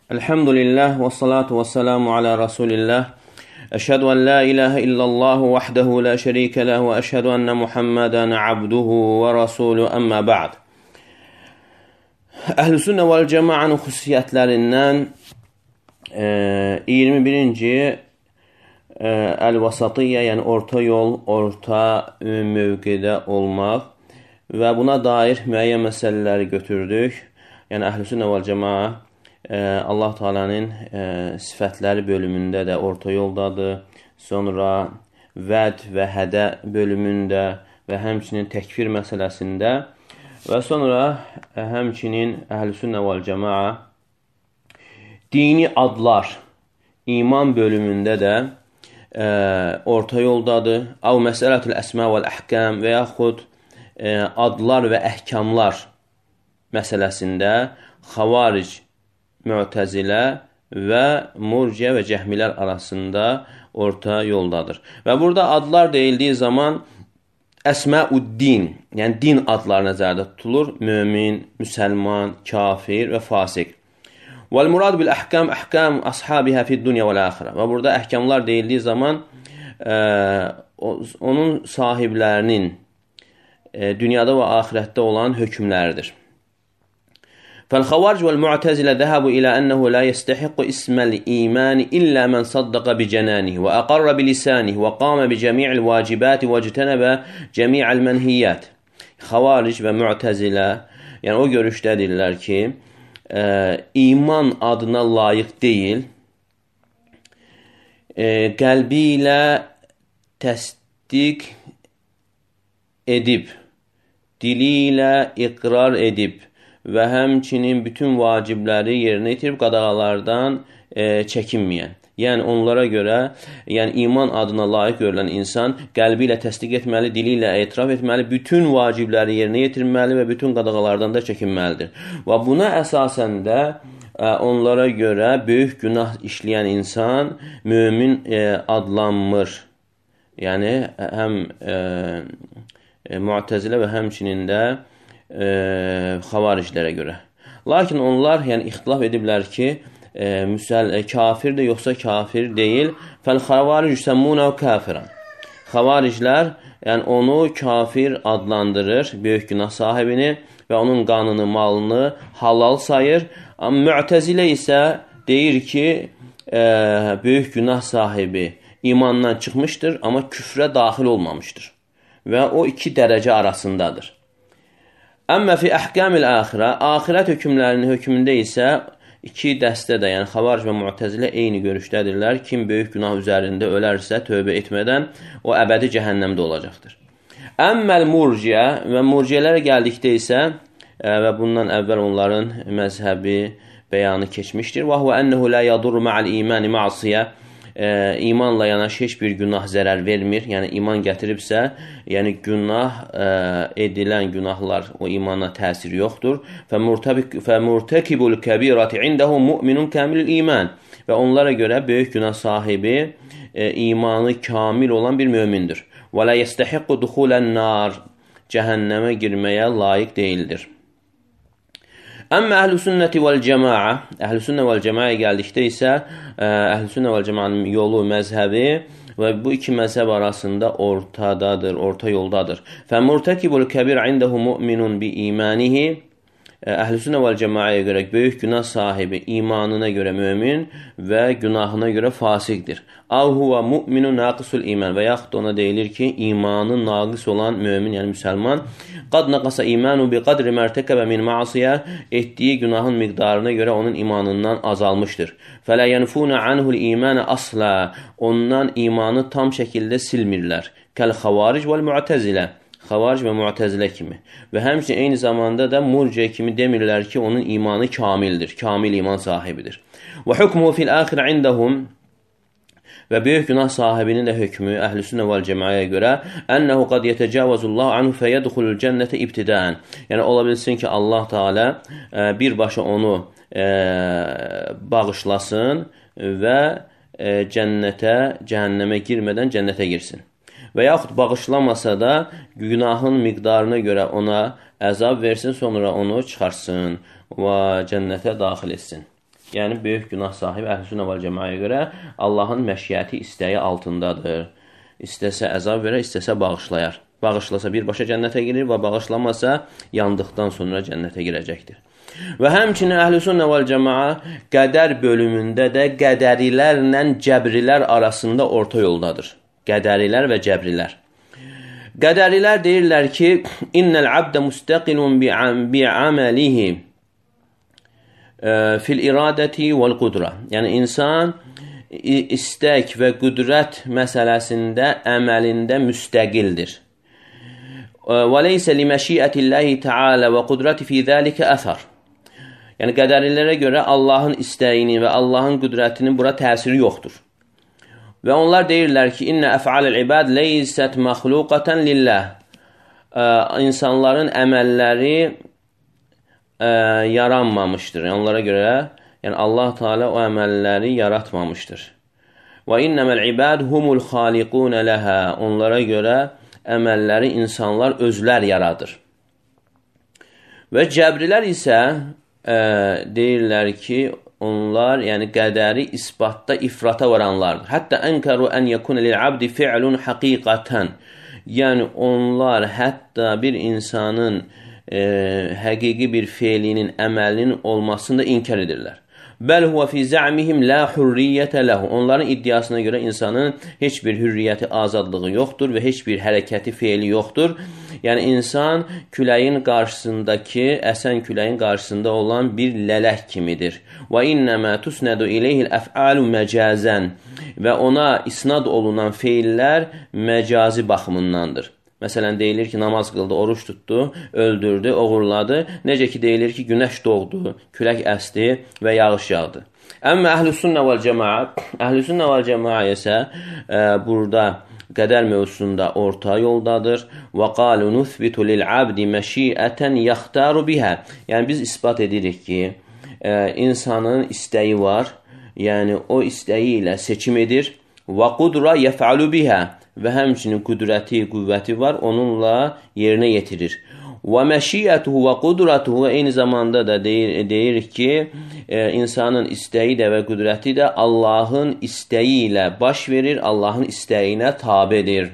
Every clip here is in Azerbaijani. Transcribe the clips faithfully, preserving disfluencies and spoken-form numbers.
Elhamdülillah və salatu və selamu alə Rasulillah. Əşhədu ən la ilahə illallah vahdehu la şərikə ləh və əşhədu ənə Muhammədən abduhu və rasuluhu əmmə ba'd. Əhl-i Sünnə vəl Cəmaənin xüsusiyyətlərindən e, iyirmi birinci e, Əl-Vasatiyyə, yəni orta yol, orta e, mövqedə olmaq və buna dair müəyyən məsələləri götürdük. Yəni Əhl-i Sünnə vəl Cəmaə Allah Teala'nın e, sifətləri bölümündə də orta yoldadır. Sonra vəd və hədə bölümündə və həmçinin təkfir məsələsində və sonra e, həmçinin Əhl-i Sünnə vəl Cəmaə dini adlar, iman bölümündə də e, orta yoldadır. Av məsələtül əsmə vəl əhkəm və yaxud e, adlar və əhkamlar məsələsində xavaric, Mu'təzilə və Murciə və Cəhmilər arasında orta yoldadır. Və burada adlar deyildiyi zaman əsməuddin, yəni din adları nəzərdə tutulur. Mömin, müsəlman, kafir və fasiq. Vəl murad bil əhkam, əhkam ashabihə fid dunya vəl axirə. Və burada əhkamlar deyildiyi zaman e, onun sahiblərinin e, dünyada və axirətdə olan hökmləridir. فالخوارج والمعتزلة ذهبوا إلى أنه لا يستحق اسم الإيمان إلا من صدق بجنانه وأقر بلسانه وقام بجميع الواجبات واجتنب جميع المنهيات. Xavaric və Mu'təzilə, yəni o görüşdədirlər ki, e, iman adına layiq deyil, e, qəlbi ilə təsdiq edib, dili ilə iqrar edib və həmçinin bütün vacibləri yerinə yetirib qadağalardan e, çəkinməyən. Yəni onlara görə, yəni iman adına layiq görülən insan qəlbi ilə təsdiq etməli, dili ilə etiraf etməli, bütün vacibləri yerinə yetirməli və bütün qadağalardan da çəkinməlidir. Və buna əsasən də e, onlara görə böyük günah işləyən insan mömin e, adlanmır. Yəni həm e, e, Mu'təzilə və həmçinin də E, xavariclərə görə. Lakin onlar yəni ixtilaf ediblər ki, e, müsəl, e, kafirdir yoxsa kafir deyil. Fəl xavaric yüsəmmunə kafirən. Xavariclər yəni onu kafir adlandırır, böyük günah sahibini və onun qanını, malını halal sayır. Amma Mu'təzilə isə deyir ki, e, böyük günah sahibi imandan çıxmışdır, amma küfrə daxil olmamışdır. Və o iki dərəcə arasındadır. Əmmə fi əhkamil axirə, axirət hökmlərinin hökmündə isə iki dəstə də, yəni xavaric və Mu'təzilə eyni görüşdədirlər. Kim böyük günah üzərində ölərsə, tövbə etmədən o əbədi cəhənnəmdə olacaqdır. Əmməl Murciə və Murciələrə gəldikdə isə və bundan əvvəl onların məzhəbi bəyanı keçmişdir. Və huvə ənəhu la yadurru ma'al imani ma'siyə. E, imanla yanaşı heç bir günah zərər vermir. Yəni iman gətiribsə, yəni günah e, edilən günahlar o imana təsir yoxdur. Fəmurtəkibul kəbirati indəhu mu'minun kamilul iman. Və onlara görə böyük günah sahibi e, imanı kamil olan bir mömindir. Və la yestəhiqqu duxulən nar. Cəhənnəmə girməyə layiq deyildir. Əmmə Əhl-i Sünnəti vəl Cəmaə, Əhl-i Sünnə vəl Cəmaəyə gəldikdə isə Əhl-i Sünnə vəl Cəmaənin yolu, məzhəbi və bu iki məzhəb arasında ortadadır, orta yoldadır. Fəmurtəkibul kəbir indəhu mu'minun bi imanihi. Əhl-i Sünnə vəl Cəmaəyə görə böyük günah sahibi imanına görə mömin və günahına görə fasiqdir. Av huva mu'minun naqisul iman və yaxud ona deyilir ki, imanı naqis olan mömin, yəni müsəlman, qad naqasa imanu bi qadri mərtəkəbə min ma'siyə, etdiyi günahın miqdarına görə onun imanından azalmışdır. Fələ yənfunə anhul imanə asla, ondan imanı tam şəkildə silmirlər. Kəl xavaric vəl mu'təzilə. Xavaric və Mu'təzilə kimi. Və həmçinin eyni zamanda da Murciə kimi demirlər ki, onun imanı kamildir, kamil iman sahibidir. Və hukmuhu fil axirə indəhum, və böyük günah sahibinin də hökmü Əhl-i Sünnə vəl Cəmaəyə görə ənəhu qad yetəcavazullahu anhu fəyədxulul cənnətə ibtidən. Yəni ola bilsin ki, Allah Teala e, birbaşa onu e, bağışlasın və e, cənnətə, cəhənnəmə girmədən cənnətə girsin. Və yaxud bağışlamasa da günahın miqdarına görə ona əzab versin, sonra onu çıxarsın və cənnətə daxil etsin. Yəni, böyük günah sahibi Əhl-i-Sünnə vəl-Cəmaəyə görə Allahın məşiyyəti, istəyi altındadır. İstəsə əzab verər, istəsə bağışlayar. Bağışlasa birbaşa cənnətə girir və bağışlamasa yandıqdan sonra cənnətə girəcəkdir. Və həmçinin Əhl-i-Sünnə vəl-Cəmaə qədər bölümündə də qədərilərlə cəbrilər arasında orta yoldadır. Qədərilər və cəbrilər. Qədərilər deyirlər ki, İnnəl abdə müstəqilun bi'aməlihi fil iradəti vəl-qudra. Yəni, insan istək və qüdrət məsələsində, əməlində müstəqildir. Və leysə li məşiyyətilləhi təalə və qudrəti fi zəlikə əthər. Yəni, qədərilərə görə Allahın istəyini və Allahın qüdrətinin bura təsiri yoxdur. Və onlar deyirlər ki, İnnə əf'aləl ibad leysət məxluqətən lilləh. İnsanların əməlləri ə, yaranmamışdır. Yəni, onlara görə yəni, Allah Teala o əməlləri yaratmamışdır. Və innəməl ibad humul xaliqunə ləhə. Onlara görə əməlləri insanlar özlər yaradır. Və cəbrilər isə ə, deyirlər ki, onlar, yəni qədəri isbatda ifrata varanlardır. Hətta ənkəru ən yəkun lil-abdi fi'lun haqiqatan. Yəni onlar hətta bir insanın e, həqiqi bir feilinin, əməlinin olmasını da inkar edirlər. Bəl huvə fi zə'mihim la hurriyyətə ləhu. Onların iddiasına görə insanın heç bir hürriyyəti, azadlığı yoxdur və heç bir hərəkəti, feili yoxdur. Yəni, insan küləyin qarşısındakı, əsən küləyin qarşısında olan bir lələk kimidir. Və innəmə tusnədu iləyhil əf'alu məcazən. Və ona isnad olunan feillər məcazi baxımındandır. Məsələn, deyilir ki, namaz qıldı, oruç tutdu, öldürdü, oğurladı. Necə ki, deyilir ki, günəş doğdu, külək əsdi və yağış yağdı. Əmmə Əhl-i-Sünnə vəl-Cəmaə, Əhl-i-Sünnə vəl-Cəmaə isə e, burada qədər mövzusunda orta yoldadır. Və qalu nuthbitu lil-abdi məşiətən yaxtaru bihə. Yəni, biz isbat edirik ki, e, insanın istəyi var, yəni o istəyi ilə seçim edir. Və qudra yəf'alu bihə. Və həmçinin qüdrəti, qüvvəti var, onunla yerinə yetirir. Və məşiyyətuhu və qudratuhu eyni zamanda da deyir, deyir ki, e, insanın istəyi də və qüdrəti də Allahın istəyi ilə baş verir, Allahın istəyinə tabedir.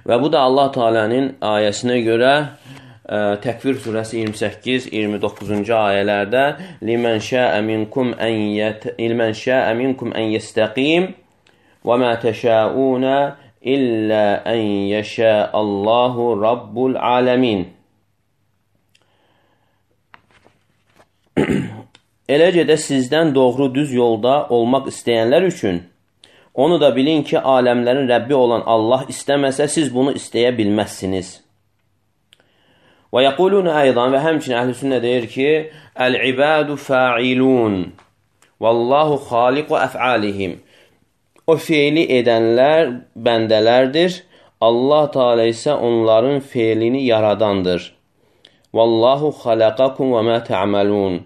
Və bu da Allah Teala'nın ayəsinə görə e, Təkvir surəsi iyirmi səkkiz iyirmi doqquzuncu ayələrdə Limən şəə minkum ən yət ilmən şəə minkum ən yəstəqim وَمَا تَشَاءُونَ إِلَّا أَنْ يَشَاءَ اللّٰهُ رَبُّ الْعَالَمِينَ. Eləcə də sizdən doğru düz yolda olmaq istəyənlər üçün onu da bilin ki, aləmlərin Rəbbi olan Allah istəməsə, siz bunu istəyə bilməzsiniz. Və yəqulun aydan və həmçinin Əhl-i-Sünnə deyir ki, Əl-ibadu fa'ilun Vallahu xaliqu əf'alihim. O feili edənlər bəndələrdir. Allah Teala isə onların feilini yaradandır. Vallahu xalaqakum və mə tə'malun.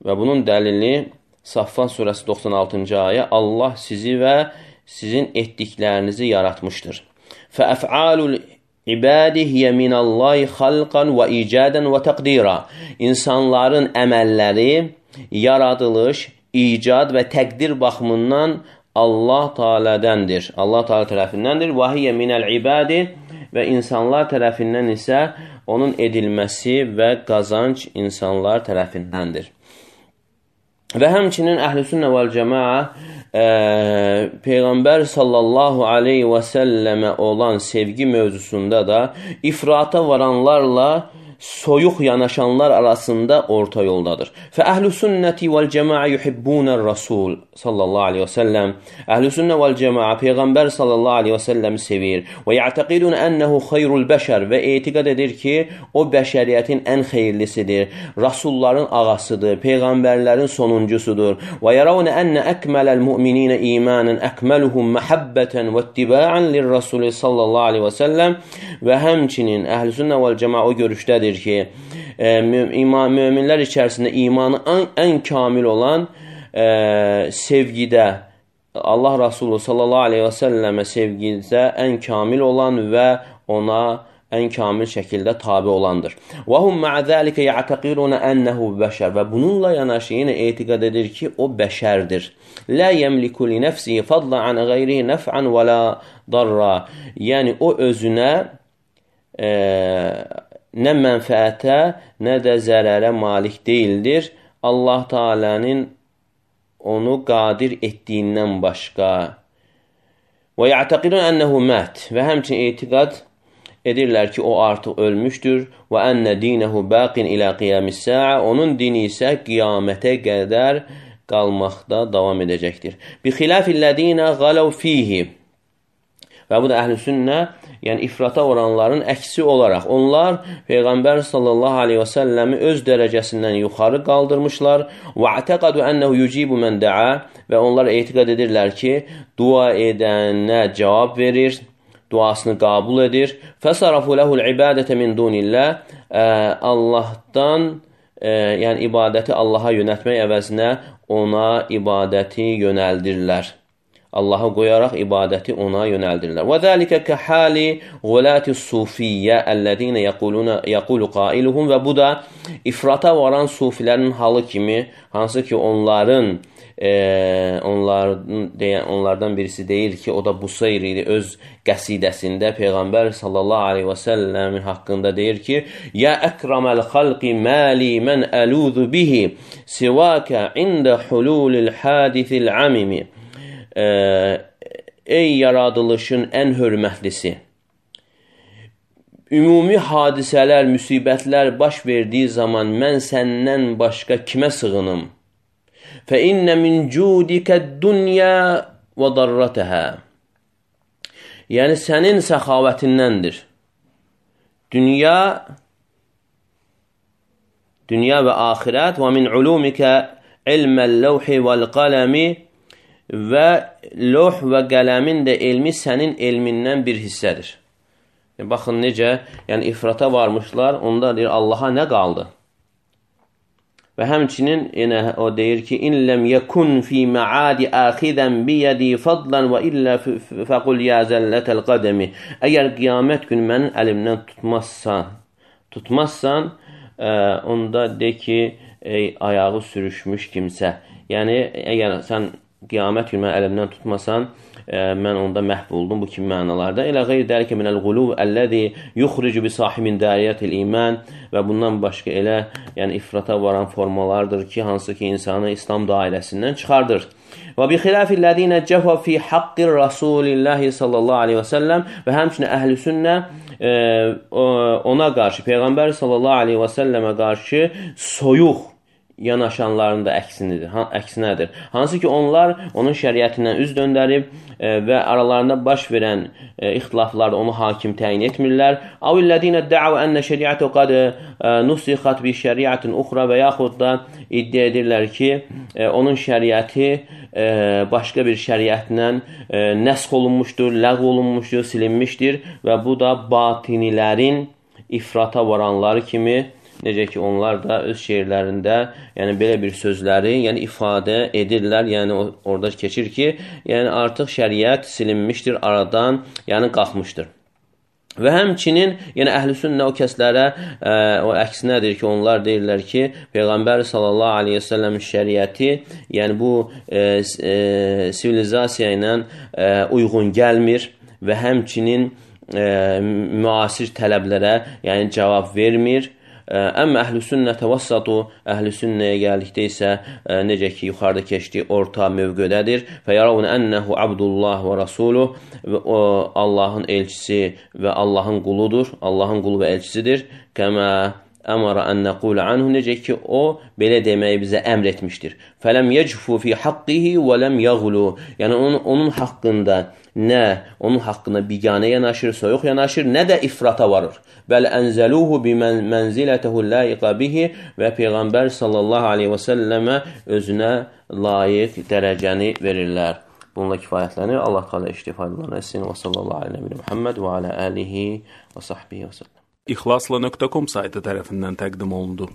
Və bunun dəlili Saffat surəsi doxsan altıncı ayə. Allah sizi və sizin etdiklərinizi yaratmışdır. Fəəf'alul ibadi hiyə minallahi xalqan və icadən və təqdira. İnsanların əməlləri, yaradılış, icad və təqdir baxımından Allah Teala'dəndir. Allah Teala tərəfindəndir. Və hiyə minəl ibadi və insanlar tərəfindən isə onun edilməsi və qazanc insanlar tərəfindəndir. Və həmçinin Əhl-i-Sünnə vəl-Cəmaə e, Peyğəmbər sallallahu aleyhi və səlləmə olan sevgi mövzusunda da ifrata varanlarla soyuq yanaşanlar arasında orta yoldadır. Fə əhl-i-sünnəti vəl-cəmaə yuhibbunər rasul sallallahu aleyhi və səlləm. Əhl-i-sünnə vəl-cəmaə Peyğəmbər sallallahu aleyhi və səlləmi sevir. Və ya'təqidun ənəhu xeyrul bəşər və etiqad edir ki, o bəşəriyyətin ən xeyirlisidir. Rasulların ağasıdır, Peyğəmbərlərin sonuncusudur. Və yaravnə ənə əkmələl mümininə imanən əkməluhum məhəbbətən və ittiba'an lir-rasul sallallahu aleyhi və səlləm. Və həmçinin əhl-i-sünnə vəl-cəmaə o görüşdədir ki, e, müminlər içərisində imanı ən, ən kamil olan e, sevgidə, Allah Resulü sallallahu aleyhi və səlləmə sevgidə ən kamil olan və ona ən kamil şəkildə tabi olandır. Və hum ma'a zalika ya'taqiruna annahu bəşər və bununla yanaşı yenə etiqad edir ki, o bəşərdir. La yemliku li nefsihi fadlan an ghayrihi naf'an və la darra. Yəni o özünə e, nə mənfəətə, nə də zərərə malik deyildir. Allah Taala'nın onu qadir etdiyindən başqa. Və ya'taqidun annahu mat. Və həmçinin etiqad edirlər ki, o artıq ölmüşdür. Və enne dinehu baqin ila qiyamis sa'a. Onun dini isə qiyamətə qədər qalmaqda davam edəcəkdir. Bi xilafillezina galav fihi. Və bu da əhl-i sünnə, yəni ifrata oranların əksi olaraq onlar Peyğəmbər sallallahu aleyhi və səlləmi öz dərəcəsindən yuxarı qaldırmışlar. Və ətəqadu ənəhu yucibu mən də'a. Və onlar etiqad edirlər ki, dua edənə cavab verir, duasını qəbul edir. Fəsarafu lehul ibadətə min dunillah. Allahdan, e, yəni ibadəti Allaha yönəltmək əvəzinə ona ibadəti yönəldirlər. Allaha qoyaraq ibadəti ona yönəldirlər. Və zəlikə kəhali gulati sufiyyə əlləzinə yəquluna yəqulu qailuhum. Və bu da ifrata varan sufilərin halı kimi, hansı ki onların Ee, onlardan, deyən, onlardan birisi deyir ki, o da Busayri öz qəsidəsində Peyğəmbər sallallahu aleyhi və səlləmin haqqında deyir ki, ya əkramel xalqi mali mən əluzu bihi sivakə ində hululil hadithil amimi. Ee, ey yaradılışın ən hörmətlisi, ümumi hadisələr, müsibətlər baş verdiyi zaman mən səndən başqa kimə sığınım? فَإِنَّ مِنْ جُودِكَ الدُّنْيَا وَضَرَّتَهَا. Yəni sənin səxavətindəndir. Dünya, dünya və axirət. وَمِنْ عُلُومِكَ عِلْمَ اللَّوْحِ وَالْقَلَمِ. Və loh və qələmin də elmi sənin elmindən bir hissədir. Yəni, baxın necə, yəni ifrata varmışlar, onda deyir Allaha nə qaldı? Və həmçinin yenə o deyir ki, in ləm yekun fi ma'adi axidən biyədi fadlan və illə fəqul ya zəllətəl qədəmi. Əgər qiyamət gün mənim əlimdən tutmazsan, tutmazsan, ə, onda de ki, ey, ayağı sürüşmüş kimsə. Yəni, əgər sən qiyamət gün mənim əlimdən tutmasan, ə, mən onda məhv oldum bu kimi mənalarda. Elə qeyr dəlikə minəl quluv əlləzi yuxricu bi sahibin dariyyətil iman. Və bundan başqa elə yəni ifrata varan formalardır ki, hansı ki insanı İslam dairəsindən çıxardır. Və bi xilafillezina cəfa fi haqqir Rasulillahi sallallahu aleyhi və səlləm. Və həmçinin əhl-i sünnə e, ona qarşı, Peyğəmbər sallallahu aleyhi və səlləmə qarşı soyuq yanaşanların da əksinidir, əksinədir. Hansı ki onlar onun şəriətindən üz döndərib e, və aralarında baş verən e, ixtilaflarda onu hakim təyin etmirlər. Avillədinə də'u ənə şəriətə qad e, nusixat bi şəriətin uxra və yaxud da iddia edirlər ki, e, onun şəriəti e, başqa bir şəriətlə e, nəsx olunmuşdur, ləğv olunmuşdur, silinmişdir və bu da batinilərin ifrata varanları kimi, necə ki, onlar da öz şeirlərində yəni belə bir sözləri yəni ifadə edirlər. Yəni orada keçir ki, yəni artıq şəriət silinmişdir, aradan yəni qalxmışdır. Və həmçinin yəni əhl-i sünnə o kəslərə ə, o əksinədir ki, onlar deyirlər ki, Peyğəmbər sallallahu aleyhi və səlləm şəriəti yəni bu e, e, sivilizasiya ilə e, uyğun gəlmir və həmçinin e, müasir tələblərə yəni cavab vermir. Əmmə əhl-i sünnə təvassatu, əhl-i sünnəyə gəldikdə isə ə, necə ki, yuxarıda keçdiyi orta mövqədədir. Fəyəravun ənəhu abdullah və rasuluh, o Allahın elçisi və Allahın quludur, Allahın qulu və elçisidir. Kəmə əmara ən nəqulə anhu, necə ki, o belə deməyi bizə əmr etmişdir. Fələm yəcfu fi haqqihi və ləm yəğlu, yəni onun, onun haqqında nə onun haqqında biganə yanaşır, soyuq yanaşır, nə də ifrata varır. Bəl ənzəluhu bimənzilətəhu layiqə bihi, və Peyğəmbər sallallahu aleyhi və səlləmə özünə layiq dərəcəni verirlər. Bununla kifayətlənir. Allah Teala iştifadələrini etsin. Və sallallahu aleyhi və Muhammed və alə alihi və sahbihi və səlləm. İxlasla nöqtə com saytı tərəfindən təqdim olundu.